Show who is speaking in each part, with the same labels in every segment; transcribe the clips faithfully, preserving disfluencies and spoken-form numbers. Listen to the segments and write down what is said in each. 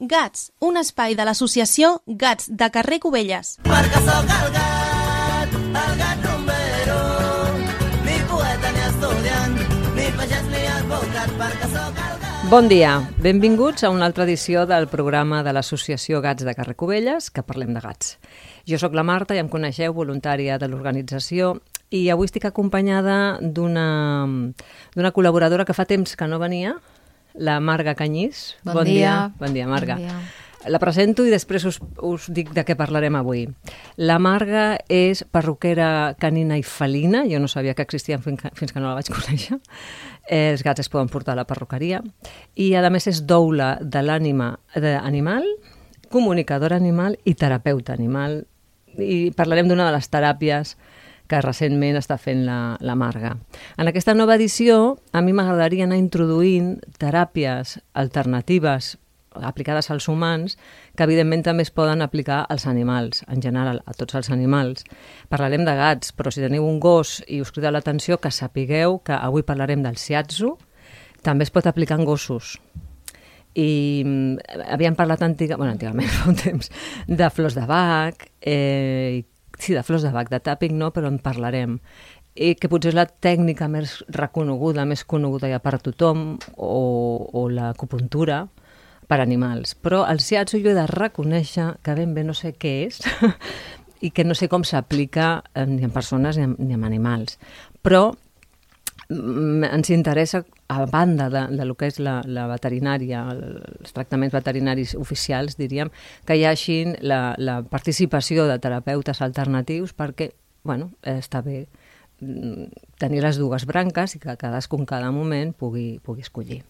Speaker 1: Gats, un espai de l'associació Gats de carrer Cubelles.
Speaker 2: Perquè sóc el gat, el gat rumbero, ni poeta ni estudiant, ni pagès ni advocat, perquè sóc el gat.
Speaker 3: Bon dia, benvinguts a una altra edició del programa de l'associació Gats de carrer Cubelles, que parlem de gats. Jo sóc la Marta i em coneixeu, voluntària de l'organització, i avui estic acompanyada d'una d'una col·laboradora que fa temps que no venia, la Marga Canyís.
Speaker 4: Bon, bon dia.
Speaker 3: dia. Bon dia, Marga.
Speaker 4: Bon dia.
Speaker 3: La presento i després us, us dic de què parlarem avui. La Marga és perruquera canina i felina. Jo no sabia que existien fins que, fins que no la vaig conèixer. Els gats es poden portar a la perruqueria. I, a més, és doula de l'ànima animal, comunicadora animal i terapeuta animal. I parlarem d'una de les teràpies que recentment està fent la, la Marga. En aquesta nova edició, a mi m'agradaria anar introduint teràpies alternatives aplicades als humans, que evidentment també es poden aplicar als animals, en general, a tots els animals. Parlarem de gats, però si teniu un gos i us crida l'atenció, que sapigueu que avui parlarem del shiatsu, també es pot aplicar en gossos. I havíem parlat antiga, bueno, antigament, fa un temps, de flors de bac, eh, sí, de flors de bac, de tapping no, però en parlarem. I que potser és la tècnica més reconeguda, més coneguda ja per tothom, o, o l'acupuntura per animals. Però el shiatsu jo he de reconèixer que ben bé no sé què és i que no sé com s'aplica ni en persones ni en, ni en animals. Però ens interessa, a banda de, de lo que és la, la veterinària, els tractaments veterinaris oficials, diríem, que hi hagi la, la participació de terapeutes alternatius perquè, bueno, està bé tenir les dues branques i que cadascun cada moment pugui, pugui escollir.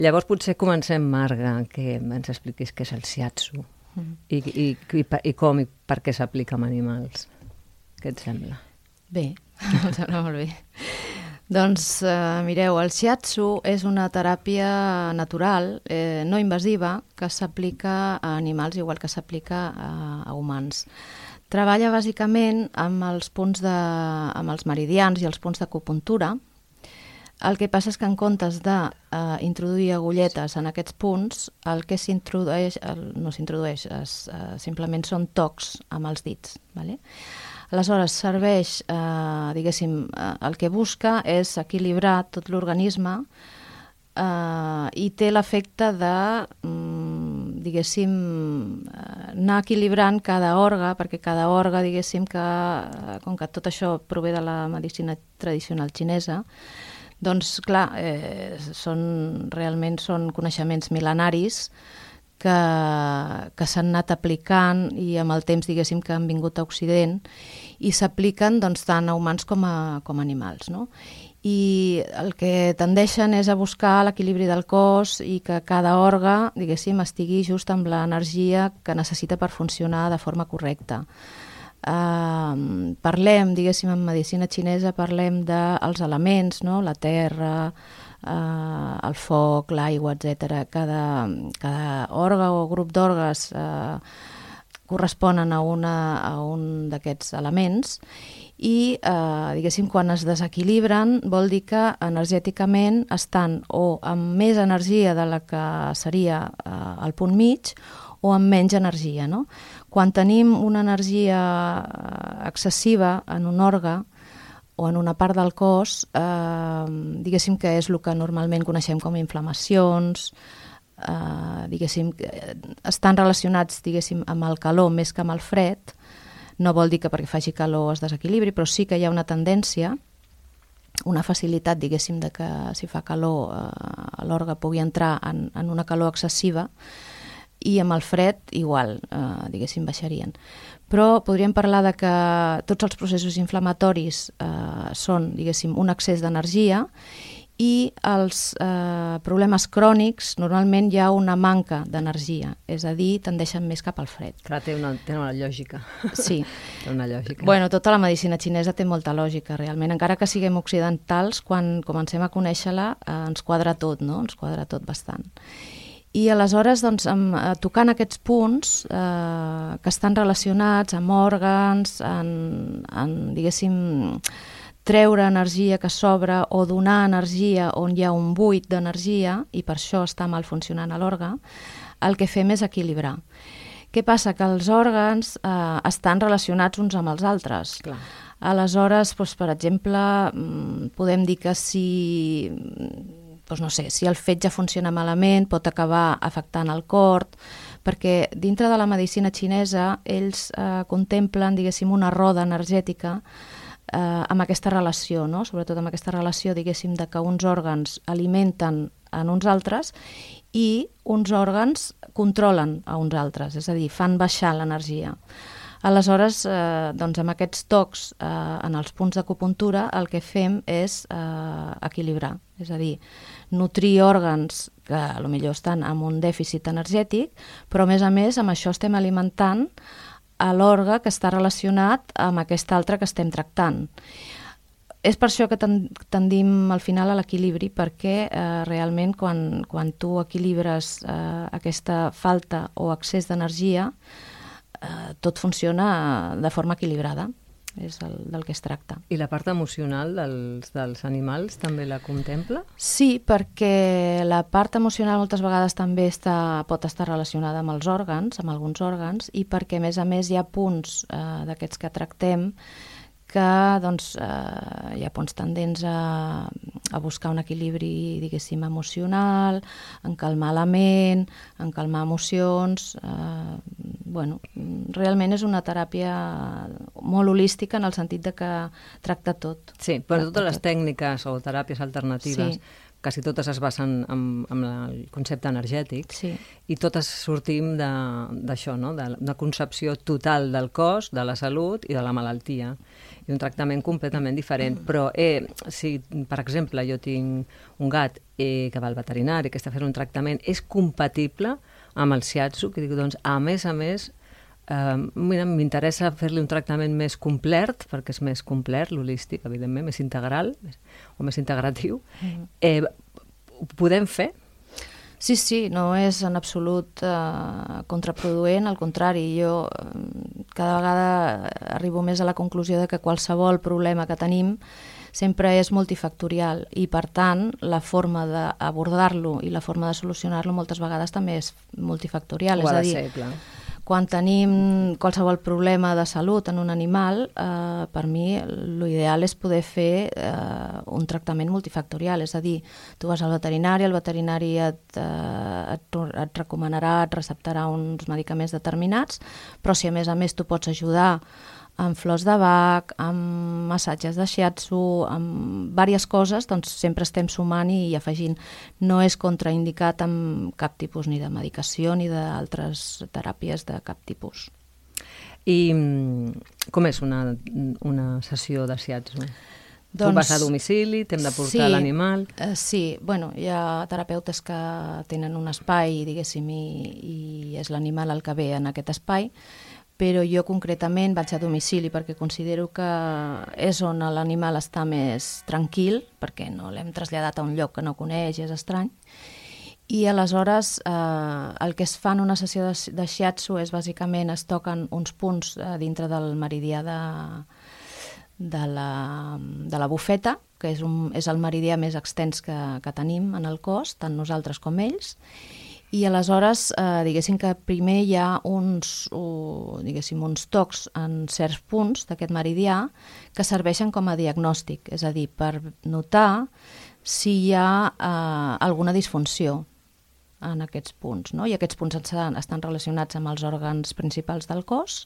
Speaker 3: Llavors potser comencem, Marga, que ens expliquis què és el shiatsu mm. i, i, i, i com i per què s'aplica amb animals. Què et sembla?
Speaker 4: Bé, em sembla molt bé. Doncs eh, mireu, el shiatsu és una teràpia natural, eh, no invasiva, que s'aplica a animals igual que s'aplica a, a humans. Treballa bàsicament amb els punts de, amb els meridians i els punts d'acupuntura. El que passa és que en comptes d'introduir eh, agulletes en aquests punts, el que s'introdueix, no s'introdueix, es, eh, simplement són tocs amb els dits, ¿vale? Aleshores, serveix, eh, diguéssim, eh, el que busca és equilibrar tot l'organisme eh, i té l'efecte de, mm, diguéssim, eh, anar equilibrant cada òrgan, perquè cada òrgan, diguéssim, que, eh, com que tot això prové de la medicina tradicional xinesa, doncs, clar, eh, són, realment són coneixements mil·lenaris que, que s'han anat aplicant i amb el temps, diguéssim, que han vingut a Occident i s'apliquen doncs, tant a humans com a, com a animals, no? I el que tendeixen és a buscar l'equilibri del cos i que cada òrgan, diguéssim, estigui just amb l'energia que necessita per funcionar de forma correcta. Uh, parlem, diguéssim, en medicina xinesa, parlem dels elements, no? La terra, Uh, el foc, l'aigua, etcètera. Cada, cada òrgan o grup d'òrgans uh, corresponen a, una, a un d'aquests elements i, uh, diguéssim, quan es desequilibren vol dir que energèticament estan o amb més energia de la que seria uh, el punt mig o amb menys energia, no? Quan tenim una energia excessiva en un òrgan o en una part del cos, eh, diguéssim que és el que normalment coneixem com inflamacions, eh, diguéssim, estan relacionats, diguéssim, amb el calor més que amb el fred. No vol dir que perquè faci calor es desequilibri, però sí que hi ha una tendència, una facilitat, diguéssim, de que si fa calor eh, l'òrgan pugui entrar en, en una calor excessiva i amb el fred igual, eh, diguéssim, baixarien. Però podríem parlar de que tots els processos inflamatoris eh, són, diguéssim, un excés d'energia i els eh, problemes crònics normalment hi ha una manca d'energia, és a dir, tendeixen més cap al fred.
Speaker 3: Clar, té una, té una lògica.
Speaker 4: Sí.
Speaker 3: Té una lògica.
Speaker 4: Bueno, tota la medicina xinesa té molta lògica, realment. Encara que siguem occidentals, quan comencem a conèixer-la eh, ens quadra tot, no? Ens quadra tot bastant. I aleshores, doncs, amb, tocant aquests punts eh, que estan relacionats amb òrgans, en, en, diguéssim, treure energia que sobra o donar energia on hi ha un buit d'energia, i per això està mal funcionant l'òrgan, el que fem és equilibrar. Què passa? Que els òrgans eh, estan relacionats uns amb els altres.
Speaker 3: Clar.
Speaker 4: Aleshores, doncs, per exemple, podem dir que si, doncs no sé, si el fetge funciona malament pot acabar afectant el cor, perquè dintre de la medicina xinesa ells eh, contemplen, diguéssim, una roda energètica eh, amb aquesta relació, no? Sobretot amb aquesta relació, diguéssim, de que uns òrgans alimenten en uns altres i uns òrgans controlen a uns altres, és a dir, fan baixar l'energia. Aleshores, eh, doncs amb aquests tocs eh, en els punts d'acupuntura el que fem és eh, equilibrar, és a dir, nutrir òrgans que potser estan amb un dèficit energètic, però a més a més amb això estem alimentant a l'òrgan que està relacionat amb aquest altre que estem tractant. És per això que tendim al final a l'equilibri, perquè eh, realment quan, quan tu equilibres eh, aquesta falta o excés d'energia, eh, tot funciona de forma equilibrada, és el, del que es tracta.
Speaker 3: I la part emocional dels, dels animals també la contempla?
Speaker 4: Sí, perquè la part emocional moltes vegades també està, pot estar relacionada amb els òrgans, amb alguns òrgans, i perquè a més a més hi ha punts eh, d'aquests que tractem que doncs, eh, hi ha punts tendents a, a buscar un equilibri, diguéssim, emocional, en calmar la ment, en calmar emocions. Eh, bueno, realment és una teràpia molt holística en el sentit de que tracta tot.
Speaker 3: Sí, però
Speaker 4: tracta
Speaker 3: totes les
Speaker 4: tot.
Speaker 3: tècniques o teràpies alternatives,
Speaker 4: Sí.
Speaker 3: quasi totes es basen en, en el concepte energètic,
Speaker 4: Sí.
Speaker 3: i totes sortim d'això, no? de, de concepció total del cos, de la salut i de la malaltia, i un tractament completament diferent. Però eh, si, per exemple, jo tinc un gat eh, que va al veterinari, que està fent un tractament, és compatible amb el shiatsu, que dic, doncs, a més a més, eh, mira, m'interessa fer-li un tractament més complet, perquè és més complet, l'holístic, evidentment, més integral, més, o més integratiu. Mm-hmm. eh, ho podem fer?
Speaker 4: Sí, sí, no és en absolut eh, contraproduent, al contrari, jo eh, cada vegada arribo més a la conclusió de que qualsevol problema que tenim sempre és multifactorial i, per tant, la forma d'abordar-lo i la forma de solucionar-lo moltes vegades també és multifactorial.
Speaker 3: Ho ha
Speaker 4: és a
Speaker 3: de
Speaker 4: dir,
Speaker 3: ser, clar.
Speaker 4: quan tenim qualsevol problema de salut en un animal, eh, per mi l'ideal és poder fer eh, un tractament multifactorial, és a dir, tu vas al veterinari, el veterinari et, eh, et, et recomanarà, et receptarà uns medicaments determinats, però si a més a més tu pots ajudar amb flors de Bach, amb massatges de shiatsu, amb diverses coses, doncs sempre estem sumant i afegint. No és contraindicat amb cap tipus ni de medicació ni d'altres teràpies de cap tipus.
Speaker 3: I com és una, una sessió de shiatsu?
Speaker 4: Doncs,
Speaker 3: tu vas a domicili, t'hem de portar
Speaker 4: sí,
Speaker 3: l'animal?
Speaker 4: Eh, sí, bueno, hi ha terapeutes que tenen un espai, diguéssim, i, i és l'animal el que ve en aquest espai, però jo concretament vaig a domicili perquè considero que és on l'animal està més tranquil, perquè no l'hem traslladat a un lloc que no coneix, és estrany, i aleshores eh, el que es fa en una sessió de, de shiatsu és bàsicament es toquen uns punts eh, dintre del meridià de, de, la, de la bufeta, que és, un, és el meridià més extens que, que tenim en el cos, tant nosaltres com ells, i aleshores, eh, diguéssim que primer hi ha uns, uh, diguéssim, uns tocs en certs punts d'aquest meridià que serveixen com a diagnòstic, és a dir, per notar si hi ha eh, alguna disfunció en aquests punts, no? I aquests punts estan, estan relacionats amb els òrgans principals del cos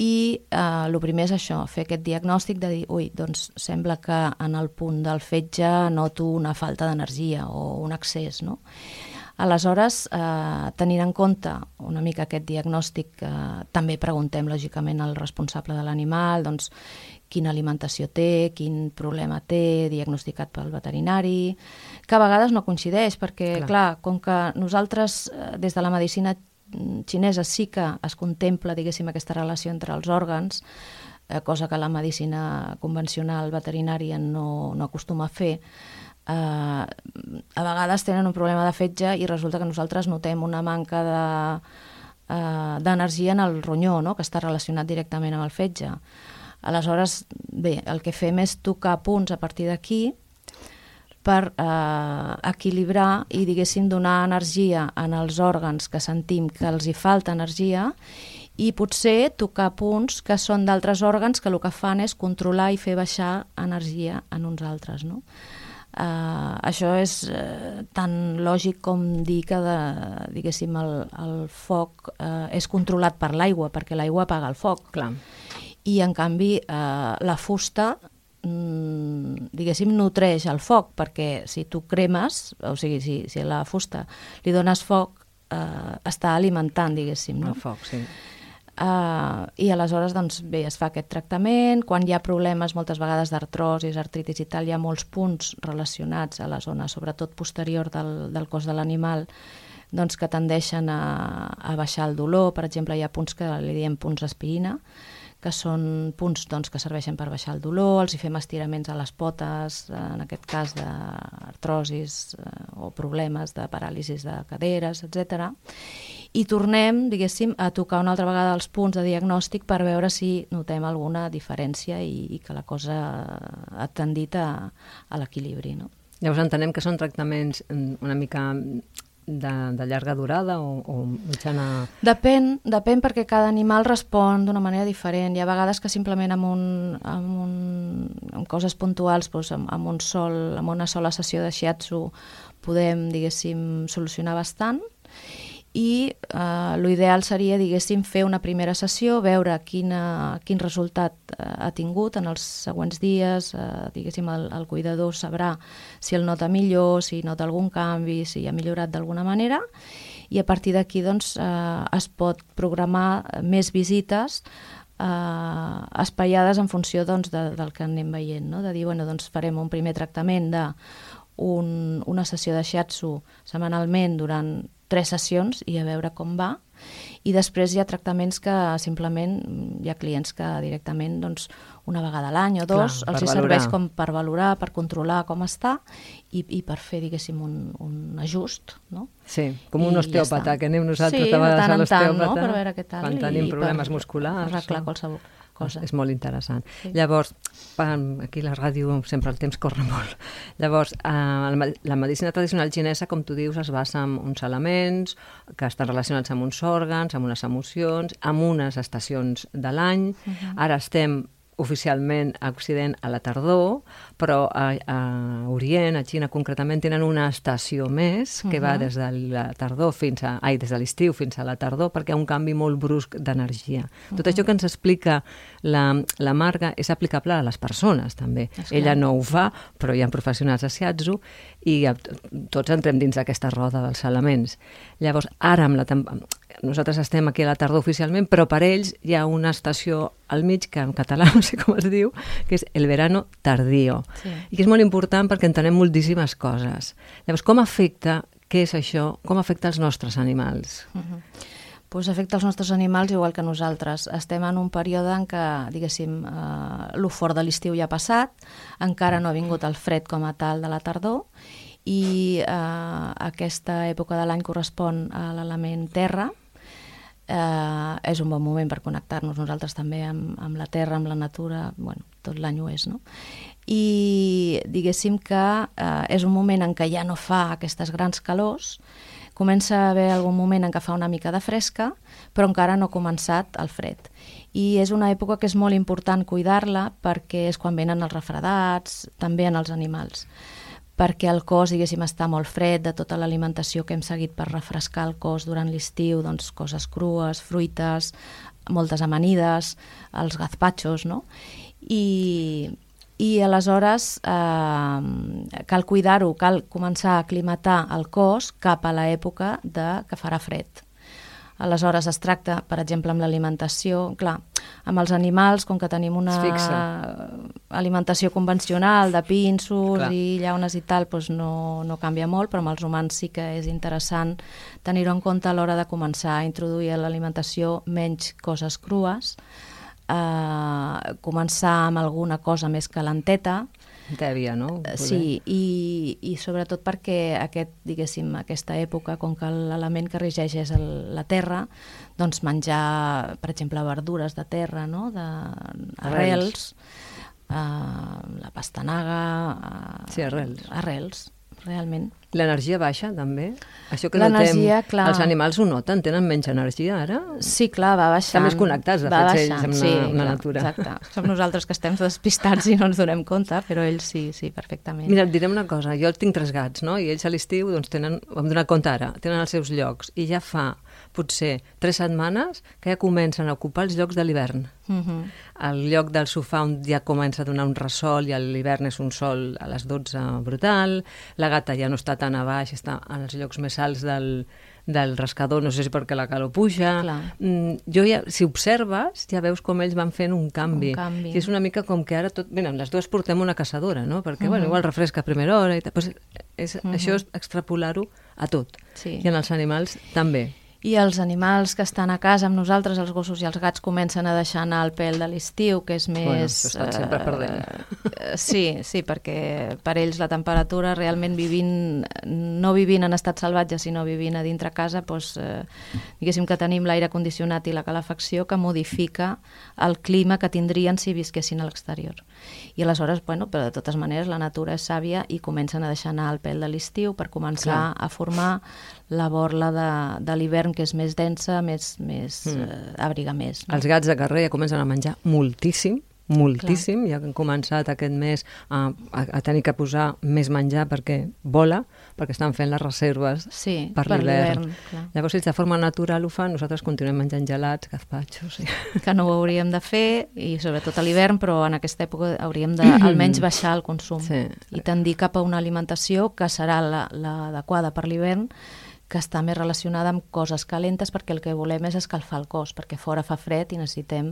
Speaker 4: i eh, el primer és això, fer aquest diagnòstic de dir, ui, doncs sembla que en el punt del fetge noto una falta d'energia o un excés, no? Aleshores, eh, tenint en compte una mica aquest diagnòstic, eh, també preguntem lògicament al responsable de l'animal doncs, quina alimentació té, quin problema té, diagnosticat pel veterinari, que a vegades no coincideix, perquè, clar, clar com que nosaltres, eh, des de la medicina xinesa sí que es contempla, diguéssim, aquesta relació entre els òrgans, eh, cosa que la medicina convencional veterinària no, no acostuma a fer, Uh, a vegades tenen un problema de fetge i resulta que nosaltres notem una manca de, uh, d'energia en el ronyó, no? Que està relacionat directament amb el fetge. Aleshores, bé, el que fem és tocar punts a partir d'aquí per eh, equilibrar i, diguéssim, donar energia en els òrgans que sentim que els hi falta energia i potser tocar punts que són d'altres òrgans que el que fan és controlar i fer baixar energia en uns altres, no? Uh, això és uh, tan lògic com dir que de, diguéssim, el, el foc uh, és controlat per l'aigua, perquè l'aigua apaga el foc.
Speaker 3: Clar.
Speaker 4: I en canvi uh, la fusta mm, diguéssim nutreix el foc, perquè si tu cremes, o sigui, si, si a la fusta li dones foc, uh, està alimentant, diguéssim, no?
Speaker 3: El foc, sí.
Speaker 4: Uh, i aleshores doncs bé, es fa aquest tractament. Quan hi ha problemes moltes vegades d'artrosis, artritis i tal, hi ha molts punts relacionats a la zona, sobretot posterior del, del cos de l'animal, doncs que tendeixen a, a baixar el dolor. Per exemple, hi ha punts que li diem punts aspirina, que són punts doncs, que serveixen per baixar el dolor, els hi fem estiraments a les potes, en aquest cas d'artrosis eh, o problemes de paràlisis de caderes, etcètera. I tornem, diguéssim, a tocar una altra vegada els punts de diagnòstic per veure si notem alguna diferència i, i que la cosa ha tendit a, a l'equilibri, no?
Speaker 3: Llavors entenem que són tractaments una mica de, de llarga durada o, o mitjana...
Speaker 4: Depèn, depèn perquè cada animal respon d'una manera diferent. Hi ha vegades que simplement amb, un, amb, un, amb coses puntuals, doncs amb, amb, un sol, amb una sola sessió de shiatsu podem, diguéssim, solucionar bastant. I eh, l'ideal seria, diguéssim, fer una primera sessió, veure quina, quin resultat eh, ha tingut en els següents dies, eh, diguéssim, el, el cuidador sabrà si el nota millor, si nota algun canvi, si ha millorat d'alguna manera, i a partir d'aquí doncs, eh, es pot programar més visites eh, espaiades en funció doncs, de, del que anem veient, no? De dir, bueno, doncs farem un primer tractament de un, una sessió de shiatsu setmanalment durant tres sessions i a veure com va, i després hi ha tractaments que simplement hi ha clients que directament doncs, una vegada a l'any o dos
Speaker 3: Clar,
Speaker 4: els hi
Speaker 3: valorar.
Speaker 4: serveix com per valorar, per controlar com està i, i per fer, diguéssim, un, un ajust, no?
Speaker 3: Sí, com un
Speaker 4: I
Speaker 3: osteòpata,
Speaker 4: ja
Speaker 3: que anem nosaltres
Speaker 4: sí,
Speaker 3: de vegades
Speaker 4: tant
Speaker 3: a
Speaker 4: en tant,
Speaker 3: l'osteòpata,
Speaker 4: no? Per veure què tal,
Speaker 3: quan tenim
Speaker 4: i
Speaker 3: problemes
Speaker 4: per
Speaker 3: musculars.
Speaker 4: arreglar
Speaker 3: o...
Speaker 4: qualsevol cosa.
Speaker 3: És molt interessant.
Speaker 4: Sí.
Speaker 3: Llavors, aquí a la ràdio sempre el temps corre molt. Llavors, eh, la medicina tradicional xinesa, com tu dius, es basa en uns elements que estan relacionats amb uns òrgans, amb unes emocions, amb unes estacions de l'any. Uh-huh. Ara estem oficialment a Occident a la tardor, però a, a Orient, a Xina concretament, tenen una estació més que uh-huh. va des de la tardor fins a... Ai, des de l'estiu fins a la tardor, perquè hi ha un canvi molt brusc d'energia. Uh-huh. Tot això que ens explica la, la Marga és aplicable a les persones, també.
Speaker 4: Esclar.
Speaker 3: Ella no ho fa, però hi ha professionals de shiatsu i tots entrem dins d'aquesta roda dels elements. Llavors, ara amb la temporada... Nosaltres estem aquí a la tardor oficialment, però per ells hi ha una estació al mig, que en català no sé com es diu, que és el verano tardío. Sí. I que és molt important perquè entenem moltíssimes coses. Llavors, com afecta, què és això, com afecta els nostres animals?
Speaker 4: Uh-huh. Pues afecta els nostres animals igual que nosaltres. Estem en un període en què, diguéssim, eh, lo fort de l'estiu ja ha passat, encara no ha vingut el fred com a tal de la tardor, i eh, aquesta època de l'any correspon a l'element terra. Eh, és un bon moment per connectar-nos nosaltres també amb, amb la terra, amb la natura, bueno, tot l'any ho és, no? I diguéssim que eh, és un moment en què ja no fa aquestes grans calors, comença a haver algun moment en què fa una mica de fresca, però encara no ha començat el fred. I és una època que és molt important cuidar-la perquè és quan venen els refredats, també en els animals, perquè el cos, diguéssim, està molt fred de tota l'alimentació que hem seguit per refrescar el cos durant l'estiu, doncs coses crues, fruites, moltes amanides, els gazpachos, no? I, i aleshores eh, cal cuidar-ho, cal començar a aclimatar el cos cap a l'època de que farà fred. Aleshores es tracta, per exemple, amb l'alimentació, clar, amb els animals, com que tenim una alimentació convencional de pinsos clar. I llaunes i tal, doncs no, no canvia molt, però amb els humans sí que és interessant tenir-ho en compte a l'hora de començar a introduir a l'alimentació menys coses crues, eh, començar amb alguna cosa més calenteta,
Speaker 3: tèbia, no?
Speaker 4: Sí, i, i sobretot perquè aquest, diguéssim, aquesta època, com que l'element que regeix és el, la terra, doncs menjar, per exemple, verdures de terra, no? De arrels, uh, la pastanaga... Uh,
Speaker 3: sí, arrels.
Speaker 4: Arrels, realment.
Speaker 3: L'energia baixa, també? Això que
Speaker 4: L'energia,
Speaker 3: notem,
Speaker 4: clar.
Speaker 3: els animals ho noten? Tenen menys energia, ara?
Speaker 4: Sí, clar, va baixant.
Speaker 3: Estan més connectats, de
Speaker 4: va
Speaker 3: fet,
Speaker 4: baixant,
Speaker 3: ells amb la,
Speaker 4: sí,
Speaker 3: amb la
Speaker 4: clar,
Speaker 3: natura.
Speaker 4: Exacte. Som nosaltres que estem despistats i no ens donem compte, però ells sí, sí, perfectament.
Speaker 3: Mira, et direm una cosa. Jo tinc tres gats, no? I ells a l'estiu, doncs, tenen, ho hem donat compte ara, tenen els seus llocs. I ja fa, potser, tres setmanes que ja comencen a ocupar els llocs de l'hivern.
Speaker 4: Uh-huh.
Speaker 3: El lloc del sofà on ja comença a donar un ressol i a l'hivern és un sol a les dotze brutal, la gata ja no està tan a baix, està en els llocs més alts del, del rascador, no sé si perquè la calor puja. Mm, jo ja, si observes, ja veus com ells van fent un canvi.
Speaker 4: Un canvi.
Speaker 3: I és una mica com que ara tot... Bé, les dues portem una caçadora, no? Perquè,
Speaker 4: Uh-huh.
Speaker 3: bueno, igual refresca a primera hora i tal. Pues és,
Speaker 4: Uh-huh.
Speaker 3: això és extrapolar-ho a tot.
Speaker 4: Sí.
Speaker 3: I en els animals també.
Speaker 4: I els animals que estan a casa amb nosaltres, els gossos i els gats, comencen a deixar anar el pèl de l'estiu, que és més...
Speaker 3: Bueno, això estan sempre perdent.
Speaker 4: Eh, sí, sí, perquè per ells la temperatura realment vivint, no vivint en estat salvatge, sinó vivint a dintre casa, doncs, eh, diguéssim que tenim l'aire condicionat i la calefacció que modifica el clima que tindrien si visquessin a l'exterior. I aleshores, bueno, però de totes maneres la natura és sàvia i comencen a deixar anar el pèl de l'estiu per començar
Speaker 3: Clar.
Speaker 4: a formar la borla de, de l'hivern, que és més densa, més, més mm. eh, abriga més. No?
Speaker 3: Els gats de carrer ja comencen a menjar moltíssim, moltíssim, Clar. Ja que han començat aquest mes a, a, a tenir que posar més menjar perquè vola, perquè estan fent les reserves
Speaker 4: sí,
Speaker 3: per,
Speaker 4: per
Speaker 3: l'hivern.
Speaker 4: l'hivern.
Speaker 3: Llavors, ells de forma natural ho fan, nosaltres continuem menjant gelats, gazpachos... Sí.
Speaker 4: Que no ho hauríem de fer, i sobretot a l'hivern, però en aquesta època hauríem de almenys baixar el consum
Speaker 3: Sí.
Speaker 4: i tendir cap a una alimentació que serà la, la adequada per l'hivern, que està més relacionada amb coses calentes, perquè el que volem és escalfar el cos, perquè fora fa fred i necessitem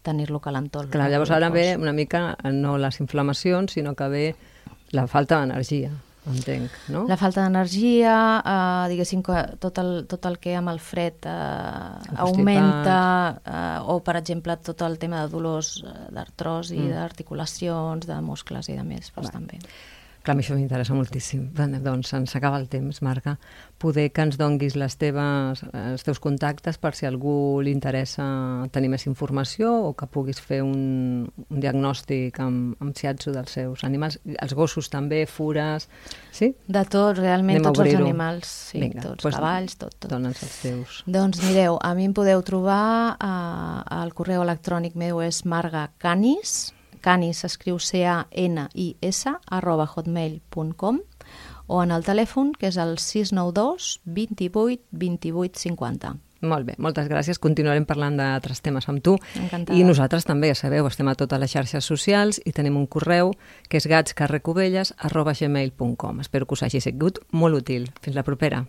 Speaker 4: tenir-lo calentó.
Speaker 3: Clar, llavors ara ve una mica, no les inflamacions, sinó que ve la falta d'energia, entenc, no?
Speaker 4: La falta d'energia, eh, diguéssim que tot el, tot el que amb el fred eh, augmenta, eh, o per exemple tot el tema de dolors d'artrosi, mm. d'articulacions, de muscles i de més, doncs
Speaker 3: Va.
Speaker 4: també.
Speaker 3: Clar, a mi això m'interessa moltíssim. Doncs ens acaba el temps, Marga. Poder que ens donguis les teves, els teus contactes per si a algú li interessa tenir més informació o que puguis fer un, un diagnòstic amb, amb shiatsu dels seus animals. Els gossos també, fures... Sí?
Speaker 4: De tot, realment,
Speaker 3: Anem a
Speaker 4: tots els
Speaker 3: obrir-ho.
Speaker 4: animals, sí,
Speaker 3: Vinga,
Speaker 4: tots,
Speaker 3: doncs
Speaker 4: cavalls, tot, tot.
Speaker 3: Dona'ns els teus.
Speaker 4: Doncs mireu, a mi em podeu trobar, eh, el correu electrònic meu és margacanis, canis s'escriu C A N I S, arroba hotmail punt com, o en el telèfon, que és el sis nou dos, vint-i-vuit, vint-i-vuit, cinquanta.
Speaker 3: Molt bé, moltes gràcies. Continuarem parlant d'altres temes amb tu.
Speaker 4: Encantada.
Speaker 3: I nosaltres també, ja sabeu, estem a totes les xarxes socials i tenim un correu que és gatscarrecubelles arroba gmail punt com. Espero que us hagi sigut molt útil. Fins la propera.